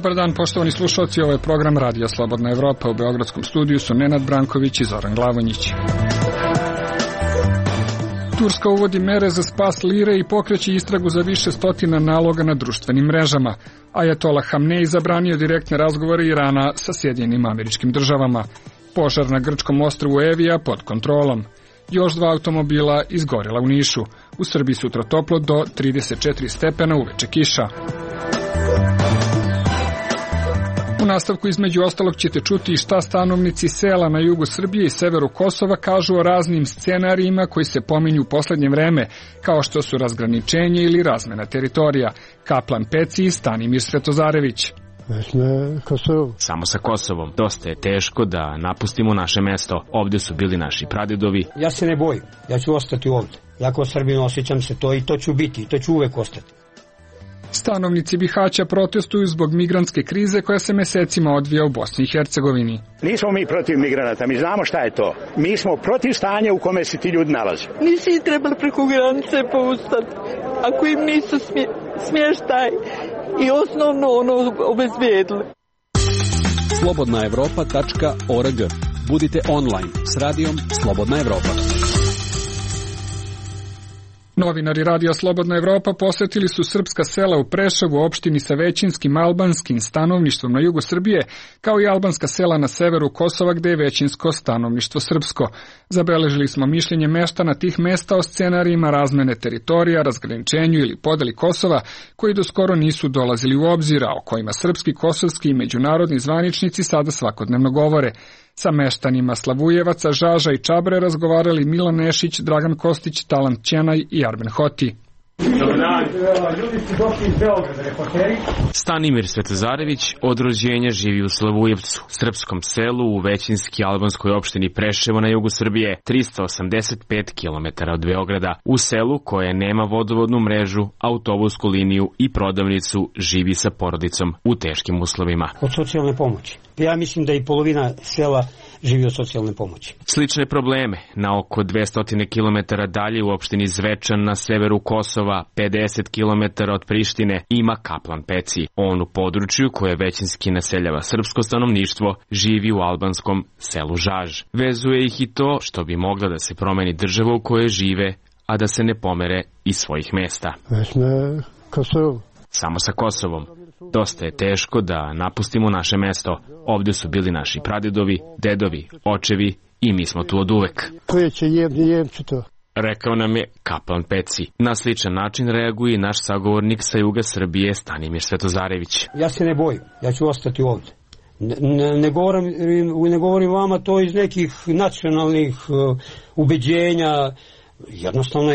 Dobar dan, poštovani slušalci, ovo je program Radija Slobodna Evropa. U beogradskom studiju su Nenad Branković i Zoran Glavonjić. Turska uvodi mere za spas lire i pokreće istragu za više stotina naloga na društvenim mrežama. Ajatolah Hamnej zabranio direktne razgovore Irana sa Sjedinjenim Američkim Državama. Požar na grčkom ostrvu Evija pod kontrolom. Još 2 automobila izgorela u Nišu. U Srbiji sutra toplo do 34 stepena, uveče kiša. U nastavku između ostalog ćete čuti šta stanovnici sela na jugu Srbije i severu Kosova kažu o raznim scenarijima koji se pominju u poslednje vreme, kao što su razgraničenje ili razmena teritorija. Kaplan Peci i Stanimir Svetozarević. Samo sa Kosovom. Dosta je teško da napustimo naše mesto. Ovde su bili naši pradedovi. Ja se ne bojim. Ja ću ostati ovde. Ja kao Srbin osjećam se to i to ću biti. I to ću uvek ostati. Stanovnici Bihaća protestuju zbog migrantske krize koja se mesecima odvija u Bosni i Hercegovini. Nismo mi protiv migranata, mi znamo šta je to. Mi smo protiv stanja u kome se ti ljudi nalaze. Nisi ih trebali preko granice pouštati, ako im nisu smještaj i osnovno obezbijedili. slobodnaevropa.org. Budite online s radijom Slobodna Evropa. Novinari Radija Slobodna Evropa posetili su srpska sela u Preševu, opštini sa većinskim albanskim stanovništvom na jugu Srbije, kao i albanska sela na severu Kosova gde je većinsko stanovništvo srpsko. Zabeležili smo mišljenje meštana tih mesta o scenarijima razmene teritorija, razgraničenju ili podeli Kosova, koji do skoro nisu dolazili u obzir, a o kojima srpski, kosovski i međunarodni zvaničnici sada svakodnevno govore. Sa meštanima Slavujevaca, Žaža i Čabre razgovarali Milan Nešić, Dragan Kostić, Talant Ćenaj i Arben Hoti. Dobar dan. Ljudi su došli iz Beograda, reporteri. Stanimir Svetozarević od rođenja živi u Slavujevcu, srpskom selu u većinski albanskoj opštini Preševo na jugu Srbije, 385 km od Beograda. U selu koje nema vodovodnu mrežu, autobusku liniju i prodavnicu, živi sa porodicom u teškim uslovima. Od socijalne pomoći. Ja mislim da i polovina sela živi od socijalne pomoći. Slične probleme na oko 200 km dalje u opštini Zvečan na severu Kosova, 50 km od Prištine, ima Kaplan Peci. On u području koje većinski naseljava srpsko stanovništvo živi u albanskom selu Žaž. Vezuje ih i to što bi mogla da se promeni država u kojoj žive, a da se ne pomere iz svojih mesta. Samo sa Kosovom. Dosta je teško da napustimo naše mesto. Ovde su bili naši pradedovi, dedovi, očevi i mi smo tu od uvek. Rekao nam je Kaplan Peci. Na sličan način reaguje i naš sagovornik sa juga Srbije Stanimir Svetozarević. Ja se ne bojim. Ja ću ostati ovde. Ne govorim vama to iz nekih nacionalnih ubeđenja. Jednostavno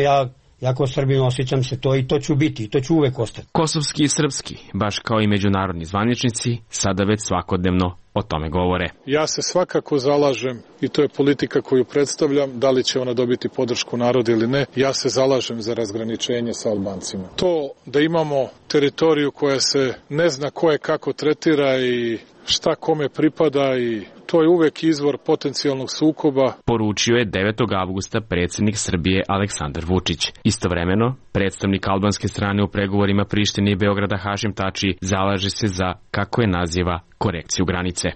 ja kao Srbin osjećam se to i to ću biti i to ću uvek ostati. Kosovski i srpski, baš kao i međunarodni zvaničnici, sada već svakodnevno o tome govore. Ja se svakako zalažem, i to je politika koju predstavljam, da li će ona dobiti podršku naroda ili ne, ja se zalažem za razgraničenje sa Albancima. To da imamo teritoriju koja se ne zna ko je kako tretira i šta kome pripada i to je uvek izvor potencijalnog sukoba. Poručio je 9. avgusta predsjednik Srbije Aleksandar Vučić. Istovremeno, predstavnik albanske strane u pregovorima Prištine i Beograda Hašim Tači zalaže se za, kako je naziva, korekciju granice.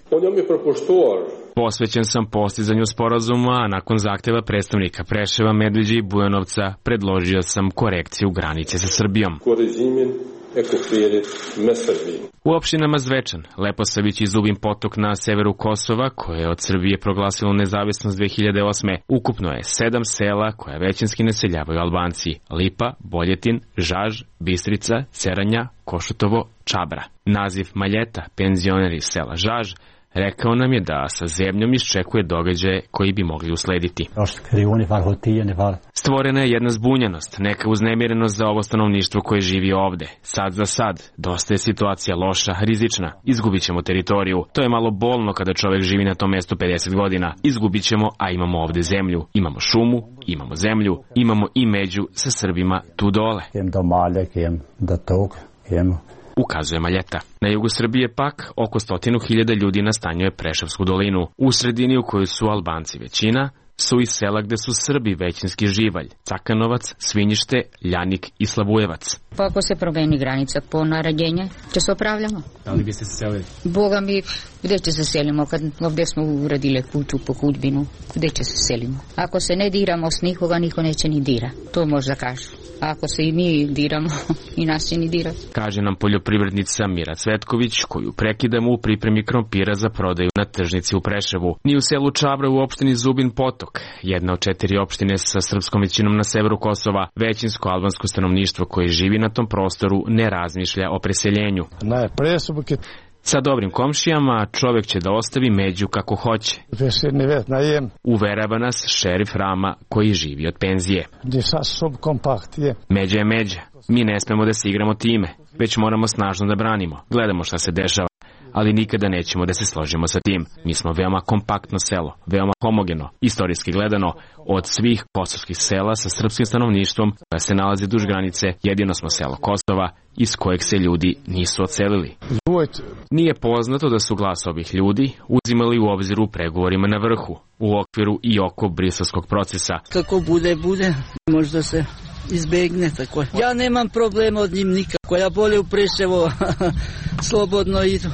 Posvećen sam postizanju sporazuma, a nakon zahtjeva predstavnika Preševa, Medveđe i Bujanovca predložio sam korekciju granice sa Srbijom. U opštinama Zvečan, Leposavić i Zubin Potok na severu Kosova, koje je od Srbije proglasilo nezavisnost 2008. ukupno je 7 sela koja većinski naseljavaju Albanci: Lipa, Boljetin, Žaž, Bistrica, Ceranja, Košutovo, Čabra. Naziv Maljeta, penzioner iz sela Žaž, rekao nam je da sa zemljom iščekuje događaje koji bi mogli uslediti. Stvorena je jedna zbunjenost, neka uznemirenost za ovo stanovništvo koje živi ovde. Sad za sad, dosta je situacija loša, rizična. Izgubit ćemo teritoriju. To je malo bolno kada čovek živi na tom mestu 50 godina. Izgubit ćemo, a imamo ovde zemlju. Imamo šumu, imamo zemlju, imamo i među sa Srbima tu dole. Ukazuje Maljeta. Na jugu Srbije pak oko 100.000 ljudi nastanjuje Preševsku dolinu. U sredini u kojoj su Albanci većina, su i sela gde su Srbi većinski živalj, Cakanovac, Svinjište, Ljanik i Slavujevac. Pa ako se promeni granica po naređenje, će se opravljamo. Da li bi se selili? Boga mi, gde će se selimo, kad ovdje smo uradili kuću po hudbinu, gde će se selimo? Ako se ne diramo s nikoga, niko neće ni dira, to možda kažu. A ako se i mi diramo, i nas će ni dirati. Kaže nam poljoprivrednica Mira Cvetković, koju prekidamo u pripremi krompira za prodaju na tržnici u Preševu. Ni u selu Čabra u opštini Zubin Potok, jedna od 4 opštine sa srpskom većinom na severu Kosova, većinsko albansko stanovništvo koje živi na tom prostoru ne razmišlja o preseljenju. Sa dobrim komšijama čovjek će da ostavi među kako hoće. Uverava nas šerif Rama koji živi od penzije. Međa je međa. Mi ne smemo da se igramo time, već moramo snažno da branimo. Gledamo šta se dešava, ali nikada nećemo da se složimo sa tim. Mi smo veoma kompaktno selo, veoma homogeno, istorijski gledano. Od svih kosovskih sela sa srpskim stanovništvom koja se nalazi duž granice, jedino smo selo Kosova iz kojeg se ljudi nisu odselili. Nije poznato da su glas ovih ljudi uzimali u obzir u pregovorima na vrhu, u okviru i oko briselskog procesa. Kako bude, možda se izbegne tako. Ja nemam problema od njim nikako, ja bolje u Preševo slobodno idu.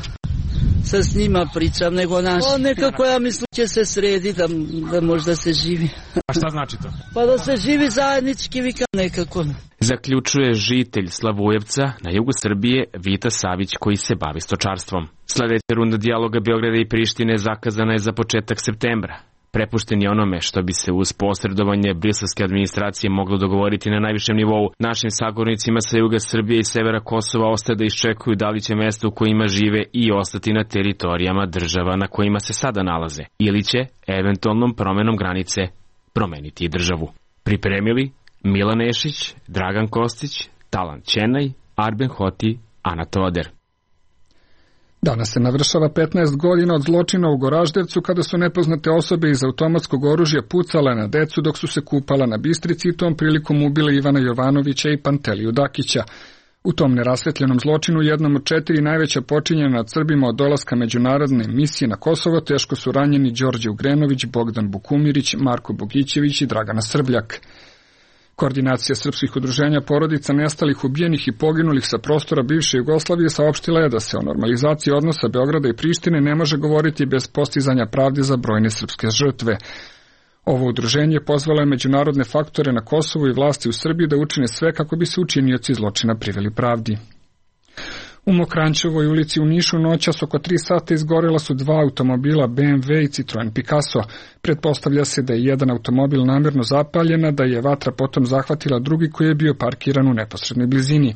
Sa s njima pričam nego naš. Nekako ja mislim će se sredi da možda se živi. A šta znači to? Pa da se živi zajednički vikam nekako. Zaključuje žitelj Slavujevca na jugu Srbije Vita Savić koji se bavi stočarstvom. Sledeća runda dijaloga Beograda i Prištine zakazana je za početak septembra. Prepušten je onome što bi se uz posredovanje briselske administracije moglo dogovoriti na najvišem nivou. Našim sagovornicima sa juga Srbije i severa Kosova ostaje da iščekuju da li će mesto u kojima žive i ostati na teritorijama država na kojima se sada nalaze, ili će, eventualnom promenom granice, promeniti i državu. Pripremili Milan Nešić, Dragan Kostić, Talan Ćenaj, Arben Hoti, Ana Toder. Danas se navršava 15 godina od zločina u Goraždevcu kada su nepoznate osobe iz automatskog oružja pucale na decu dok su se kupala na Bistrici i tom prilikom ubile Ivana Jovanovića i Panteliju Dakića. U tom nerasvetljenom zločinu, jednom od 4 najveća počinjena nad Srbima od dolaska međunarodne misije na Kosovo, teško su ranjeni Đorđe Ugrenović, Bogdan Bukumirić, Marko Bogićević i Dragana Srbljak. Koordinacija srpskih udruženja porodica nestalih, ubijenih i poginulih sa prostora bivše Jugoslavije saopštila je da se o normalizaciji odnosa Beograda i Prištine ne može govoriti bez postizanja pravde za brojne srpske žrtve. Ovo udruženje pozvalo je međunarodne faktore na Kosovu i vlasti u Srbiji da učine sve kako bi se učinioci zločina priveli pravdi. U Mokranjčevoj ulici u Nišu noćas oko 3 sata izgorela su 2 automobila BMW i Citroen Picasso. Pretpostavlja se da je jedan automobil namjerno zapaljena, da je vatra potom zahvatila drugi koji je bio parkiran u neposrednoj blizini.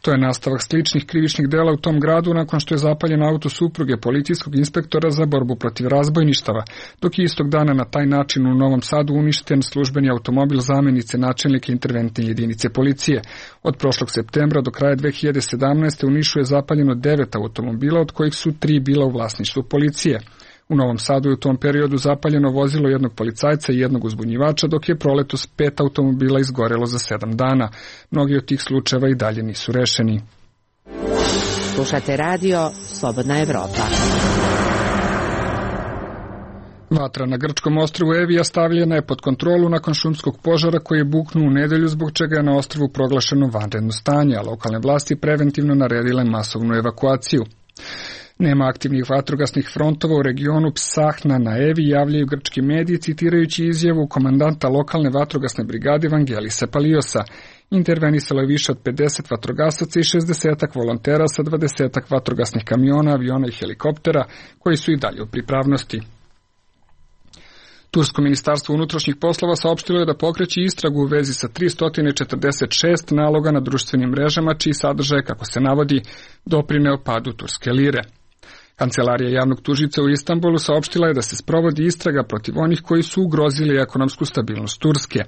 To je nastavak sličnih krivičnih dela u tom gradu nakon što je zapaljen auto supruge policijskog inspektora za borbu protiv razbojništava, dok je istog dana na taj način u Novom Sadu uništen službeni automobil zamenice načelnike interventne jedinice policije. Od prošlog septembra do kraja 2017. u Nišu je zapaljeno 9 automobila, od kojih su 3 bila u vlasništvu policije. U Novom Sadu je u tom periodu zapaljeno vozilo jednog policajca i jednog uzbunjivača, dok je proletos 5 automobila izgorelo za 7 dana. Mnogi od tih slučajeva i dalje nisu rešeni. Slušate radio Slobodna Evropa. Vatra na grčkom ostrvu Evija stavljena je pod kontrolu nakon šumskog požara koji je buknuo u nedelju, zbog čega je na ostrvu proglašeno vanredno stanje, a lokalne vlasti preventivno naredile masovnu evakuaciju. Nema aktivnih vatrogasnih frontova u regionu Psahna na Evi, javljaju grčki mediji citirajući izjavu komandanta lokalne vatrogasne brigade Vangelisa Paliosa. Intervenisalo je više od 50 vatrogasaca i 60 volontera sa 20 vatrogasnih kamiona, aviona i helikoptera koji su i dalje u pripravnosti. Tursko ministarstvo unutrašnjih poslova saopštilo je da pokreće istragu u vezi sa 346 naloga na društvenim mrežama, čiji sadržaj, kako se navodi, doprineo padu turske lire. Kancelarija javnog tužica u Istanbulu saopštila je da se sprovodi istraga protiv onih koji su ugrozili ekonomsku stabilnost Turske.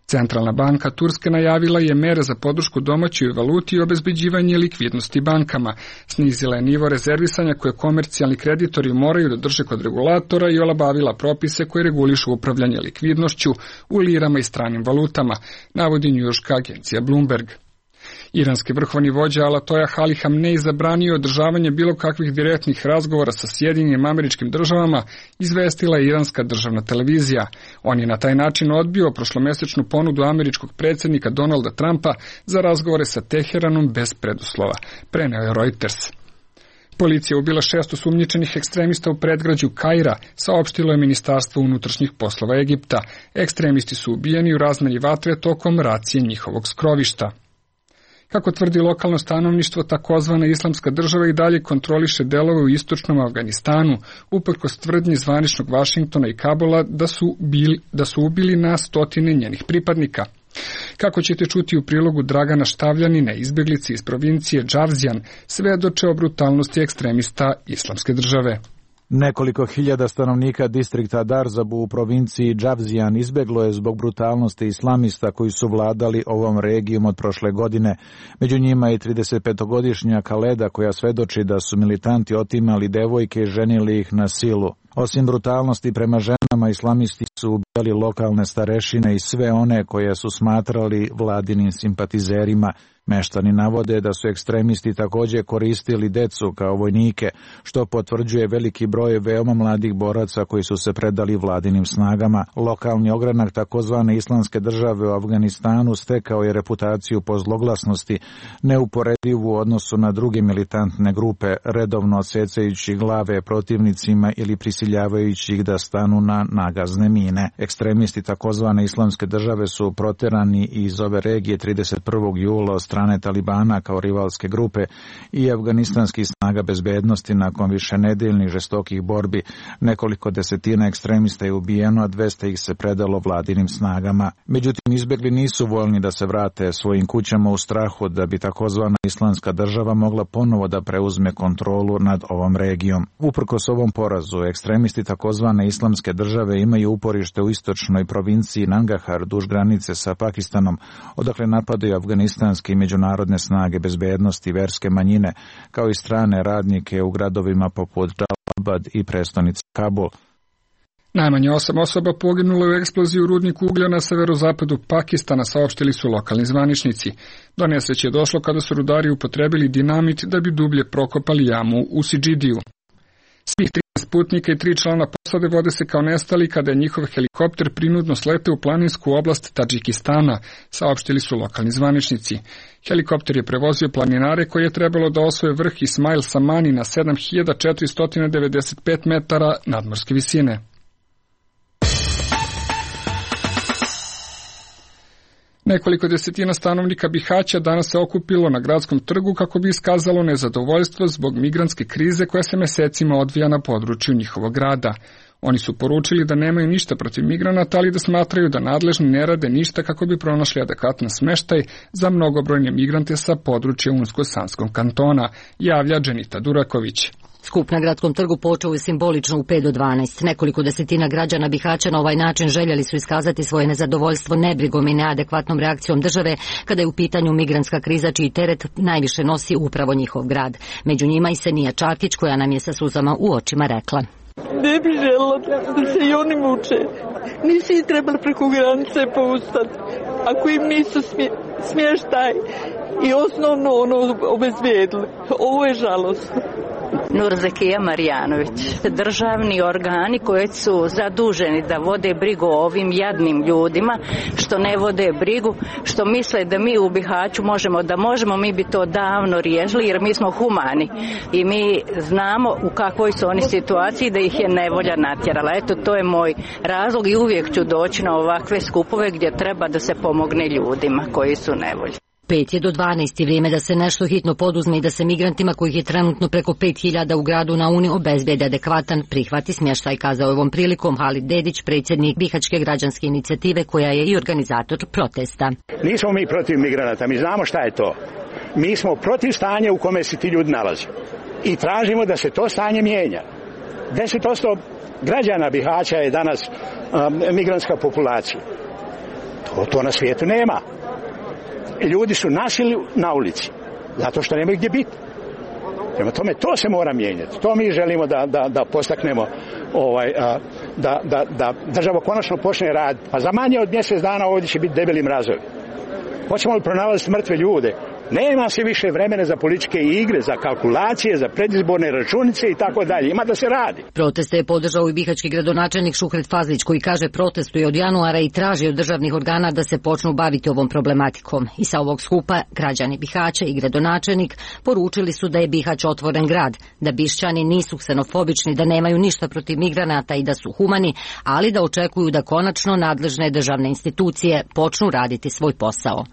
Centralna banka Turske najavila je mere za podršku domaćoj valuti i obezbeđivanje likvidnosti bankama. Snizila je nivo rezervisanja koje komercijalni kreditori moraju da drže kod regulatora i olabavila propise koji regulišu upravljanje likvidnošću u lirama i stranim valutama, navodi njujorška agencija Bloomberg. Iranski vrhovni vođa Alatoja Ali Hamnej zabranio održavanje bilo kakvih direktnih razgovora sa Sjedinjenim Američkim Državama, izvestila je iranska državna televizija. On je na taj način odbio prošlomesečnu ponudu američkog predsjednika Donalda Trumpa za razgovore sa Teheranom bez preduslova, preneo je Reuters. Policija ubila 6 osumnjičenih ekstremista u predgrađu Kaira, saopštilo je Ministarstvo unutrašnjih poslova Egipta. Ekstremisti su ubijeni u razmeni vatre tokom racije njihovog skrovišta. Kako tvrdi lokalno stanovništvo, takozvana Islamska država i dalje kontroliše delove u istočnom Afganistanu, uprkos tvrdnji zvaničnog Vašingtona i Kabula da su ubili na stotine njenih pripadnika. Kako ćete čuti u prilogu Dragana Štavljanina, izbjeglice iz provincije Džavzijan, svedoče o brutalnosti ekstremista Islamske države. Nekoliko hiljada stanovnika distrikta Darzabu u provinciji Džavzijan izbjeglo je zbog brutalnosti islamista koji su vladali ovom regijom od prošle godine. Među njima i 35-godišnja Kaleda koja svedoči da su militanti otimali devojke i ženili ih na silu. Osim brutalnosti prema ženama, islamisti su ubijali lokalne starešine i sve one koje su smatrali vladinim simpatizerima. Meštani navode da su ekstremisti također koristili decu kao vojnike, što potvrđuje veliki broj veoma mladih boraca koji su se predali vladinim snagama. Lokalni ogranak takozvane Islamske države u Afganistanu stekao je reputaciju po zloglasnosti, neuporedivu u odnosu na druge militantne grupe, redovno odsecajući glave protivnicima ili prisiljavajući ih da stanu na nagazne mine. Ekstremisti takozvane Islamske države su proterani iz ove regije 31. jula od strane Talibana kao rivalske grupe i afganistanskih snaga bezbednosti nakon višenedeljnih žestokih borbi. Nekoliko desetina ekstremista je ubijeno, a 200 ih se predalo vladinim snagama. Međutim, izbjegli nisu voljni da se vrate svojim kućama u strahu da bi takozvana Islamska država mogla ponovo da preuzme kontrolu nad ovom regijom. Uprkos ovom porazu, ekstremisti takozvane Islamske države imaju uporište u istočnoj provinciji Nangahar duž granice sa Pakistanom, odakle napadaju afganistanski i međunarodne snage bezbednosti i verske manjine, kao i strane radnike u gradovima poput Džalabad i prestonice Kabul. Najmanje 8 osoba poginulo u eksploziji u rudniku uglja na severozapadu Pakistana, saopštili su lokalni zvaničnici. Do nesreće je došlo kada su rudari upotrebili dinamit da bi dublje prokopali jamu u Sidžidiju. Svih 13 putnika i 3 člana posade vode se kao nestali kada je njihov helikopter prinudno sleteo u planinsku oblast Tadžikistana, saopštili su lokalni zvaničnici. Helikopter je prevozio planinare koji je trebalo da osvoje vrh Ismail Samani na 7495 metara nadmorske visine. Nekoliko desetina stanovnika Bihaća danas se okupilo na gradskom trgu kako bi iskazalo nezadovoljstvo zbog migrantske krize koja se mesecima odvija na području njihovog grada. Oni su poručili da nemaju ništa protiv migranata, ali da smatraju da nadležni ne rade ništa kako bi pronašli adekvatan smeštaj za mnogobrojne migrante sa područja Unsko-Sanskog kantona, javlja Dženita Duraković. Skup na gradskom trgu počeo je simbolično u 5 do 12. Nekoliko desetina građana Bihaća na ovaj način željeli su iskazati svoje nezadovoljstvo nebrigom i neadekvatnom reakcijom države kada je u pitanju migrantska kriza čiji teret najviše nosi upravo njihov grad. Među njima i Senija Čakić koja nam je sa suzama u očima rekla: Ne bi željela da se i oni muče. Nisi ih trebali preko granice poustati. Ako im nisu smještaj i osnovno obezbijedili. Ovo je žalostno. Nurzekija Marjanović. Državni organi koji su zaduženi da vode brigu o ovim jadnim ljudima, što ne vode brigu, što misle da mi u Bihaću možemo, mi bi to davno riješili jer mi smo humani i mi znamo u kakvoj su oni situaciji da ih je nevolja natjerala. Eto, to je moj razlog i uvijek ću doći na ovakve skupove gdje treba da se pomogne ljudima koji su nevolji. 5 je do 12 vrijeme da se nešto hitno poduzme i da se migrantima kojih je trenutno preko 5000 u gradu na Uni obezbedi adekvatan prihvati smještaj, kazao je ovom prilikom Halid Dedić, predsjednik Bihaćke građanske inicijative koja je i organizator protesta. Nismo mi protiv migranata, mi znamo šta je to. Mi smo protiv stanja u kome se ti ljudi nalaze i tražimo da se to stanje mijenja. 10% građana Bihaća je danas migrantska populacija. To na svijetu nema. Ljudi su nasili na ulici, zato što nemaju gdje biti. Prema tome, to se mora mijenjati. To mi želimo da postaknemo, da država konačno počne raditi. Pa za manje od mjesec dana ovdje će biti debeli mrazovi. Hoćemo li pronalaziti mrtve ljude Nema se više vremena za političke igre, za kalkulacije, za predizborne računice i tako dalje. Ima da se radi. Proteste je podržao i bihaćki gradonačelnik Šuhret Fazlić, koji kaže protestuje od januara i traži od državnih organa da se počnu baviti ovom problematikom. I sa ovog skupa građani Bihaća i gradonačelnik poručili su da je Bihać otvoren grad, da Bišćani nisu ksenofobični, da nemaju ništa protiv migranata i da su humani, ali da očekuju da konačno nadležne državne institucije počnu raditi svoj posao.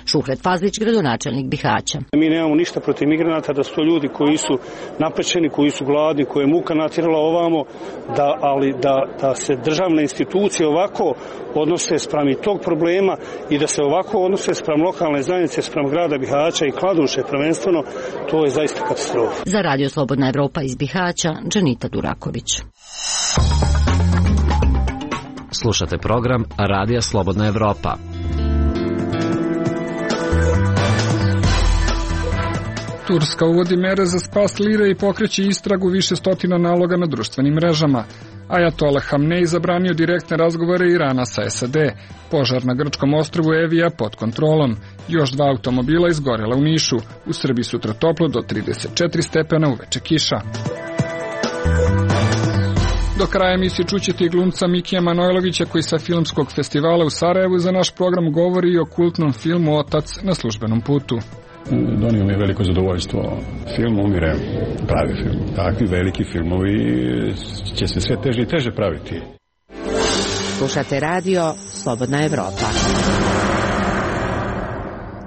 Šuhret Fazlić, gradonačelnik Bihaća. Mi nemamo ništa protiv migranata, da su to ljudi koji su napaćeni, koji su gladni, koje je muka natjerala ovamo, ali da se državne institucije ovako odnose spram i tog problema i da se ovako odnose spram lokalne zajednice, spram grada Bihaća i Kladuše prvenstveno, to je zaista katastrofa. Za Radio Slobodna Evropa iz Bihaća, Dženita Duraković. Slušate program Radija Slobodna Evropa. Turska uvodi mere za spas lire i pokreće istragu više stotina naloga na društvenim mrežama. Ajatolah Hamnej zabranio direktne razgovore Irana sa SAD. Požar na grčkom ostrvu Evija pod kontrolom. Još 2 automobila izgorela u Nišu. U Srbiji sutra toplo do 34 stepena, uveče kiša. Do kraja emisije čućete i glumca Mikija Manojlovića, koji sa filmskog festivala u Sarajevu za naš program govori o kultnom filmu Otac na službenom putu. Donio mi je veliko zadovoljstvo. Film umire, pravi film. Takvi veliki filmovi će se sve teže i teže praviti. Slušate radio Slobodna Evropa.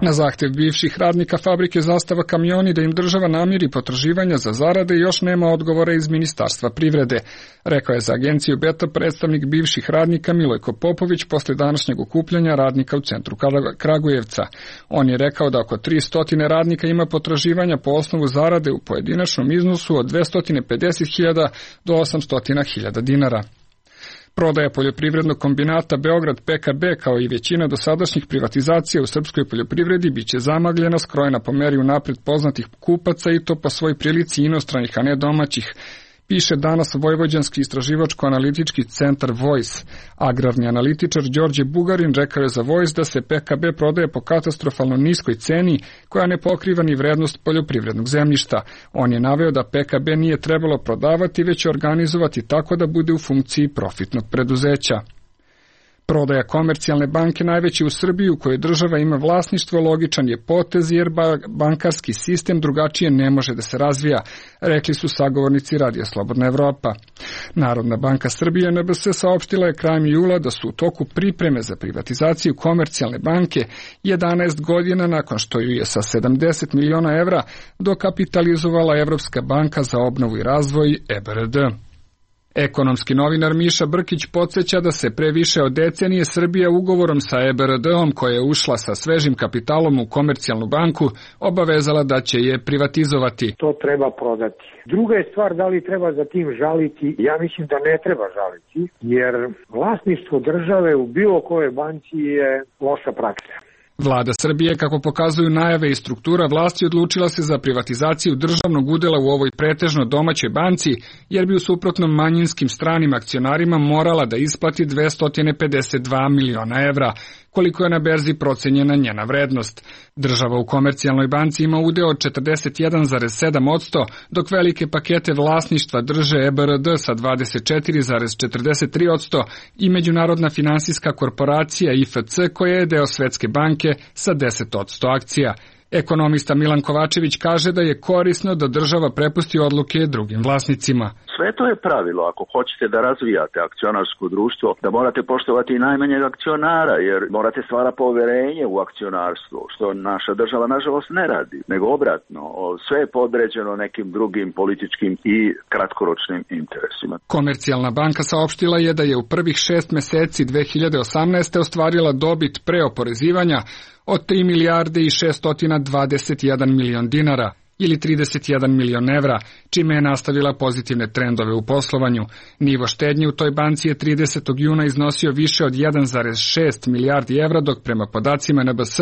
Na zahtev bivših radnika fabrike Zastava kamioni da im država namiri potraživanja za zarade još nema odgovora iz Ministarstva privrede, rekao je za agenciju Beta predstavnik bivših radnika Milojko Popović posle današnjeg okupljanja radnika u centru Kragujevca. On je rekao da oko 300 radnika ima potraživanja po osnovu zarade u pojedinačnom iznosu od 250.000 do 800.000 dinara. Prodaja poljoprivrednog kombinata Beograd PKB kao i većina dosadašnjih privatizacija u srpskoj poljoprivredi biće zamagljena, skrojena po meri unapred poznatih kupaca i to po svoj prilici inostranih, a ne domaćih, piše danas Vojvođanski istraživačko-analitički centar Voice. Agrarni analitičar Đorđe Bugarin rekao je za Voice da se PKB prodaje po katastrofalno niskoj ceni koja ne pokriva ni vrednost poljoprivrednog zemljišta. On je naveo da PKB nije trebalo prodavati, već organizovati tako da bude u funkciji profitnog preduzeća. Prodaja Komercijalne banke, najveće u Srbiji u kojoj država ima vlasništvo, logičan je potez jer bankarski sistem drugačije ne može da se razvija, rekli su sagovornici Radija Slobodna Evropa. Narodna banka Srbije NBS saopštila je krajem jula da su u toku pripreme za privatizaciju Komercijalne banke 11 godina nakon što ju je sa 70 miliona evra dokapitalizovala Evropska banka za obnovu i razvoj EBRD. Ekonomski novinar Miša Brkić podsjeća da se pre više od decenije Srbija ugovorom sa EBRD-om, koja je ušla sa svežim kapitalom u Komercijalnu banku, obavezala da će je privatizovati. To treba prodati. Druga je stvar da li treba za tim žaliti. Ja mislim da ne treba žaliti, jer vlasništvo države u bilo kojoj banci je loša praksa. Vlada Srbije, kako pokazuju najave i struktura vlasti, odlučila se za privatizaciju državnog udela u ovoj pretežno domaćoj banci, jer bi u suprotnom manjinskim stranim akcionarima morala da isplati 252 miliona evra, koliko je na berzi procenjena njena vrednost. Država u Komercijalnoj banci ima udeo od 41,7%, dok velike pakete vlasništva drže EBRD sa 24,43% i Međunarodna finansijska korporacija IFC, koja je deo Svetske banke sa 10% akcija. Ekonomista Milan Kovačević kaže da je korisno da država prepusti odluke drugim vlasnicima. Sve to je pravilo. Ako hoćete da razvijate akcionarsko društvo, da morate poštovati i najmanjeg akcionara, jer morate stvarati poverenje u akcionarstvo, što naša država nažalost ne radi, nego obratno. Sve je podređeno nekim drugim političkim i kratkoročnim interesima. Komercijalna banka saopštila je da je u prvih 6 meseci 2018. ostvarila dobit pre oporezivanja od 3 milijarde i 621 milion dinara ili 31 milion evra, čime je nastavila pozitivne trendove u poslovanju. Nivo štednje u toj banci je 30. juna iznosio više od 1,6 milijardi evra, dok prema podacima NBS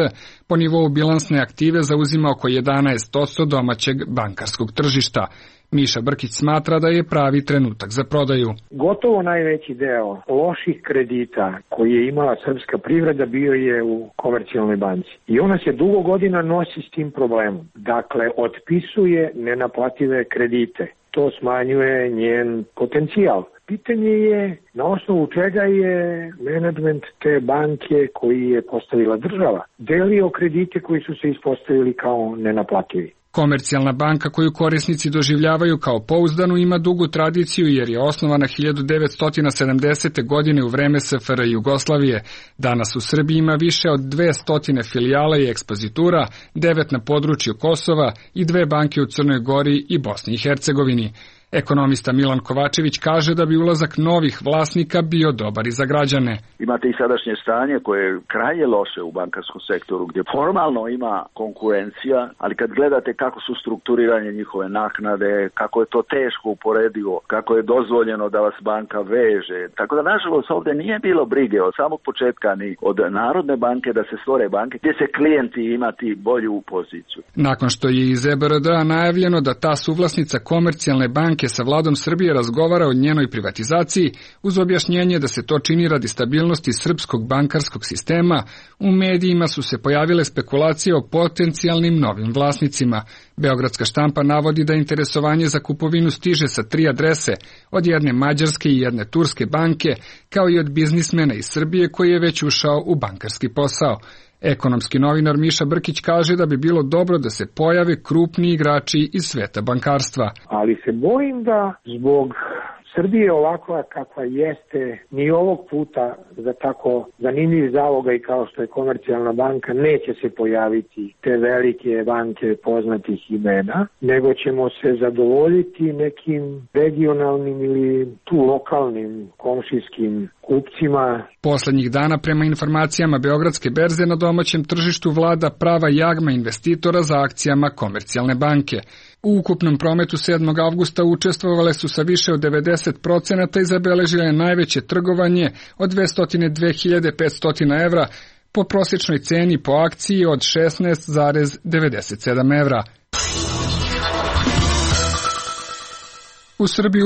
po nivou bilansne aktive zauzima oko 11% domaćeg bankarskog tržišta. Miša Brkić smatra da je pravi trenutak za prodaju. Gotovo najveći deo loših kredita koji je imala srpska privreda bio je u Komercijalnoj banci. I ona se dugo godina nosi s tim problemom. Dakle, otpisuje nenaplative kredite. To smanjuje njen potencijal. Pitanje je na osnovu čega je menadžment te banke koji je postavila država delio kredite koji su se ispostavili kao nenaplativi. Komercijalna banka koju korisnici doživljavaju kao pouzdanu ima dugu tradiciju jer je osnovana 1970. godine u vreme SFRJ Jugoslavije. Danas u Srbiji ima više od 200 filijala i ekspozitura, 9 na području Kosova i 2 banke u Crnoj Gori i Bosni i Hercegovini. Ekonomista Milan Kovačević kaže da bi ulazak novih vlasnika bio dobar i za građane. Imate i sadašnje stanje koje je krajnje loše u bankarskom sektoru gdje formalno ima konkurencija, ali kad gledate kako su strukturiranje njihove naknade, kako je to teško uporedivo, kako je dozvoljeno da vas banka veže. Tako da nažalost ovdje nije bilo brige od samog početka ni od Narodne banke da se stvore banke gdje se klijenti imati bolju poziciju. Nakon što je iz EBRD-a najavljeno da ta suvlasnica Komercijalne banke sa vladom Srbije razgovara o njenoj privatizaciji, uz objašnjenje da se to čini radi stabilnosti srpskog bankarskog sistema, u medijima su se pojavile spekulacije o potencijalnim novim vlasnicima. Beogradska štampa navodi da interesovanje za kupovinu stiže sa 3 adrese, od jedne mađarske i jedne turske banke, kao i od biznismena iz Srbije koji je već ušao u bankarski posao. Ekonomski novinar Miša Brkić kaže da bi bilo dobro da se pojave krupni igrači iz sveta bankarstva. Ali se bojim da zbog Srbije ovakva kakva jeste, ni ovog puta za tako zanimljiv zaloga i kao što je Komercijalna banka neće se pojaviti te velike banke poznatih imena, nego ćemo se zadovoljiti nekim regionalnim ili tu lokalnim komšijskim kupcima. Poslednjih dana prema informacijama Beogradske berze na domaćem tržištu vlada prava jagma investitora za akcijama Komercijalne banke. U ukupnom prometu 7. avgusta učestvovale su sa više od 90% i zabeležile najveće trgovanje od 202.500 evra po prosječnoj ceni po akciji od 16,97 evra. U Srbiji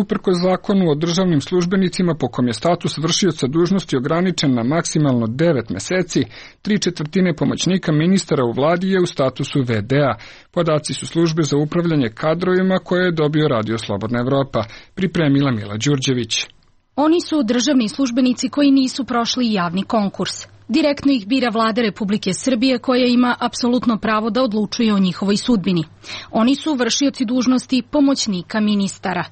uprkos zakonu o državnim službenicima po kom je status vršioca dužnosti ograničen na maksimalno 9 meseci, 3/4 pomoćnika ministara u vladi je u statusu VD-a. Podaci su službe za upravljanje kadrovima koje je dobio Radio Slobodna Evropa, pripremila Mila Đurđević. Oni su državni službenici koji nisu prošli javni konkurs. Direktno ih bira Vlada Republike Srbije koja ima apsolutno pravo da odlučuje o njihovoj sudbini. Oni su vršioci dužnosti pomoćnika ministara.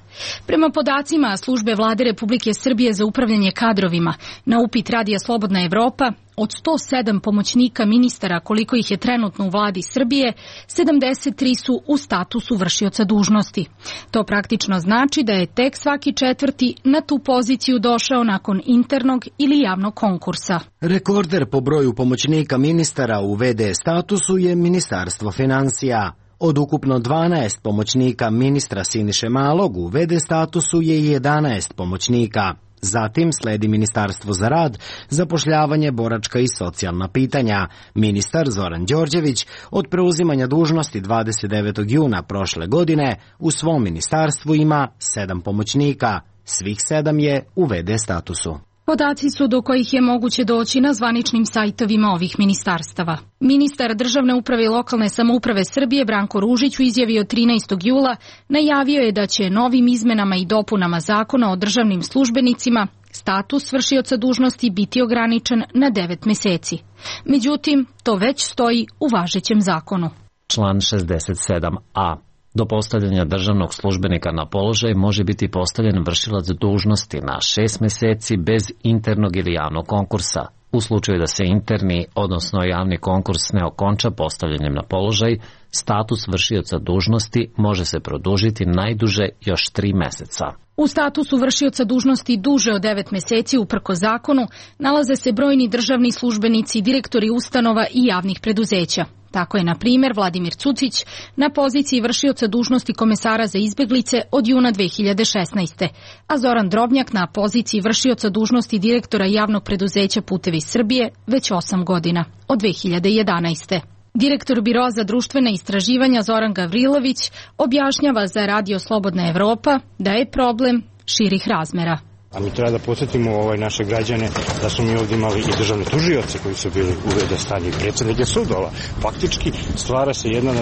Prema podacima službe Vlade Republike Srbije za upravljanje kadrovima, na upit Radija Slobodna Evropa, od 107 pomoćnika ministara koliko ih je trenutno u vladi Srbije, 73 su u statusu vršioca dužnosti. To praktično znači da je tek svaki četvrti na tu poziciju došao nakon internog ili javnog konkursa. Rekorder po broju pomoćnika ministara u VD statusu je Ministarstvo finansija. Od ukupno 12 pomoćnika ministra Siniše Malog u VD statusu je 11 pomoćnika. Zatim sledi Ministarstvo za rad, zapošljavanje, boračka i socijalna pitanja. Ministar Zoran Đorđević od preuzimanja dužnosti 29. juna prošle godine u svom ministarstvu ima 7 pomoćnika. Svih 7 je u VD statusu. Podaci su do kojih je moguće doći na zvaničnim sajtovima ovih ministarstava. Ministar državne uprave i lokalne samouprave Srbije Branko Ružić u izjavi od 13. jula najavio je da će novim izmenama i dopunama zakona o državnim službenicima status vršioca dužnosti biti ograničen na 9 meseci. Međutim, to već stoji u važećem zakonu. Član 67a. Do postavljanja državnog službenika na položaj može biti postavljen vršilac dužnosti na 6 meseci bez internog ili javnog konkursa. U slučaju da se interni, odnosno javni konkurs ne okonča postavljanjem na položaj, status vršioca dužnosti može se produžiti najduže još 3 meseca. U statusu vršioca dužnosti duže od 9 meseci uprko zakonu nalaze se brojni državni službenici, direktori ustanova i javnih preduzeća. Tako je, na primjer, Vladimir Cucić na poziciji vršioca dužnosti komesara za izbeglice od juna 2016. a Zoran Drobnjak na poziciji vršioca dužnosti direktora javnog preduzeća Putevi Srbije već 8 godina, od 2011. Direktor Biro za društvene istraživanja Zoran Gavrilović objašnjava za Radio Slobodna Evropa da je problem širih razmera. A mi treba da podsjetimo naše građane da smo mi ovdje imali i državne tužioce koji su bili u v.d. stanju i predsjednike sudova. Faktički stvara se jedna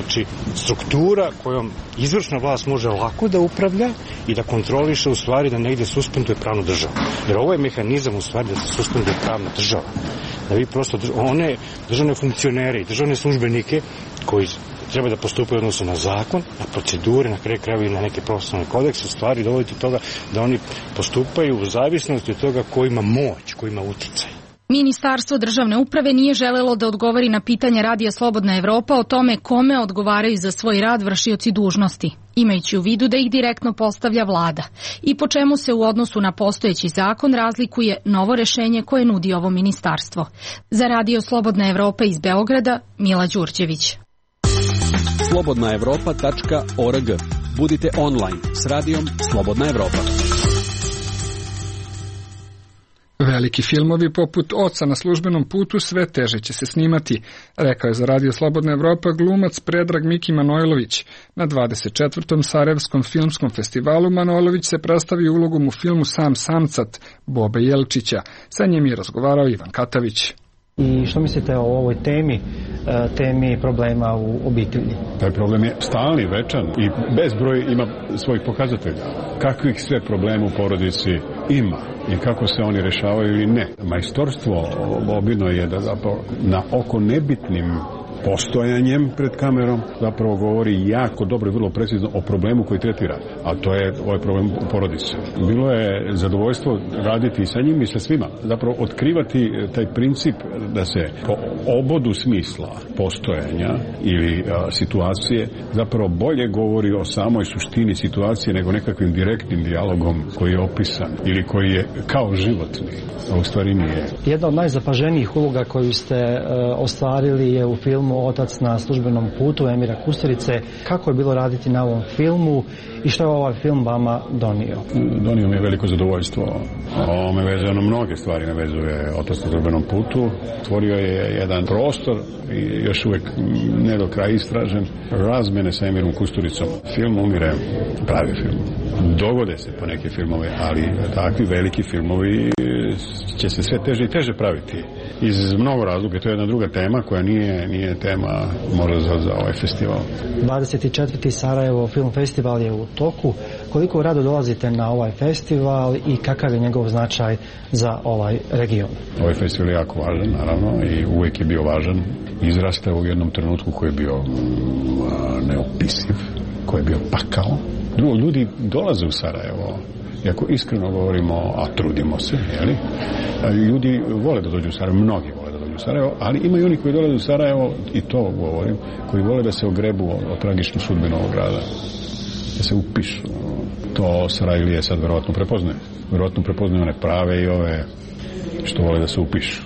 struktura kojom izvršna vlast može lako da upravlja i da kontroliše u stvari da negdje suspenduje pravnu državu. Jer ovo je mehanizam u stvari da se suspenduje pravna država. Da vi prosto one državne funkcionere i državne službenike koji treba da postupaju odnosno na zakon, na procedure, na kraju krajeva i na neke profesionalne kodekse, stvari dovoditi toga da oni postupaju u zavisnosti od toga ko ima moć, ko ima uticaj. Ministarstvo državne uprave nije želelo da odgovori na pitanje Radija Slobodna Evropa o tome kome odgovaraju za svoj rad vršioci dužnosti, imajući u vidu da ih direktno postavlja vlada i po čemu se u odnosu na postojeći zakon razlikuje novo rešenje koje nudi ovo ministarstvo. Za Radio Slobodna Evropa iz Beograda, Mila Đurđević. slobodnaevropa.org. Budite online s radijom Slobodna Evropa. Veliki filmovi poput Oca na službenom putu sve teže će se snimati, rekao je za Radio Slobodna Evropa glumac Predrag Miki Manojlović. Na 24. Sarajevskom filmskom festivalu Manojlović se predstavio ulogom u filmu Sam samcat Bobe Jelčića. Sa njim je razgovarao Ivan Katavić. I što mislite o ovoj temi problema u obitelji? Taj problem je stalni, večan i bezbroj ima svojih pokazatelja. Kakvih sve problema u porodici ima i kako se oni rešavaju ili ne. Majstorstvo Bobino je da zapravo na oko nebitnim postojanjem pred kamerom zapravo govori jako dobro i vrlo precizno o problemu koji tretira, a to je ovaj problem u porodici. Bilo je zadovoljstvo raditi sa njim i sa svima, zapravo otkrivati taj princip da se po obodu smisla postojanja ili situacije zapravo bolje govori o samoj suštini situacije nego nekakvim direktnim dijalogom koji je opisan ili koji je kao životni, a u stvari nije. Jedna od najzapaženijih uloga koju ste ostvarili je u filmu Otac na službenom putu Emira Kusturice. Kako je bilo raditi na ovom filmu i što je ovaj film vama donio? Donio mi je veliko zadovoljstvo. Ovo me vezuje na mnoge stvari, me vezuje Otac na službenom putu. Stvorio je jedan prostor i još uvek ne do kraja istražen razmene sa Emirom Kusturicom. Film umire, pravi film. Dogode se po neke filmove, ali takvi veliki filmovi će se sve teže i teže praviti. Iz mnogo razloga, to je jedna druga tema koja nije tema možda za ovaj festival. 24. Sarajevo Film Festival je u toku. Koliko rado dolazite na ovaj festival i kakav je njegov značaj za ovaj region? Ovaj festival je jako važan, naravno, i uvijek je bio važan. Izrastao u jednom trenutku koji je bio neopisiv, koji je bio pakao. Drugo, ljudi dolaze u Sarajevo. Iako iskreno govorimo, a trudimo se, jeli? Ljudi vole da dođu u Sarajevo, mnogi vole da dođu u Sarajevo, ali ima i oni koji dolaze u Sarajevo, i to govorim, koji vole da se ogrebu o tragičnu sudbinu ovog grada, da se upišu. To Sarajlije sad verovatno prepoznaje. Verovatno prepoznaju one prave i ove što vole da se upišu.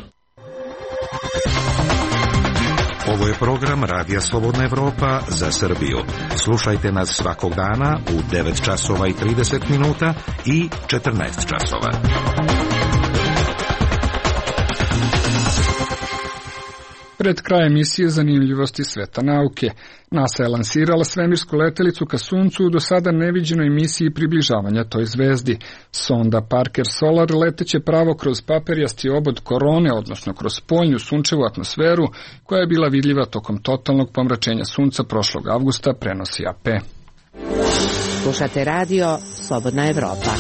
Ovo je program Radija Slobodna Evropa za Srbiju. Slušajte nas svakog dana u 9 časova i 30 minuta i 14 časova. Pred kraj emisije zanimljivosti sveta nauke. NASA je lansirala svemirsku letelicu ka Suncu u do sada neviđenoj misiji približavanja toj zvezdi. Sonda Parker Solar leteće pravo kroz paperijasti obod korone, odnosno kroz spoljnu sunčevu atmosferu, koja je bila vidljiva tokom totalnog pomračenja Sunca prošlog avgusta, prenosi AP. Slušate radio Slobodna Evropa.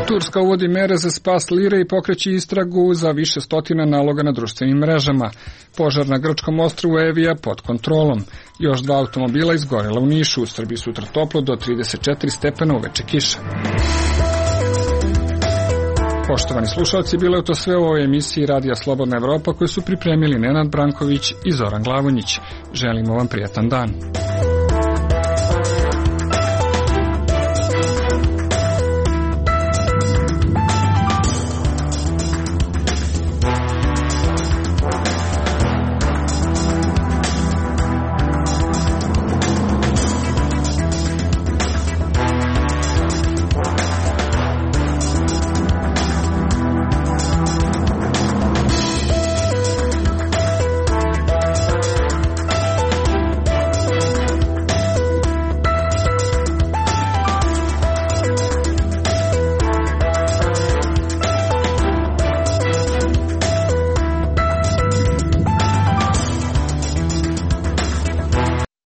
Turska uvodi mere za spas lire i pokreće istragu za više stotina naloga na društvenim mrežama. Požar na grčkom ostrvu Evija pod kontrolom. Još 2 automobila izgorela u Nišu. U Srbiji sutra toplo do 34 stepena, uveče kiša. Poštovani slušalci, bilo je to sve u ovoj emisiji Radija Slobodna Evropa koju su pripremili Nenad Branković i Zoran Glavonjić. Želimo vam prijatan dan.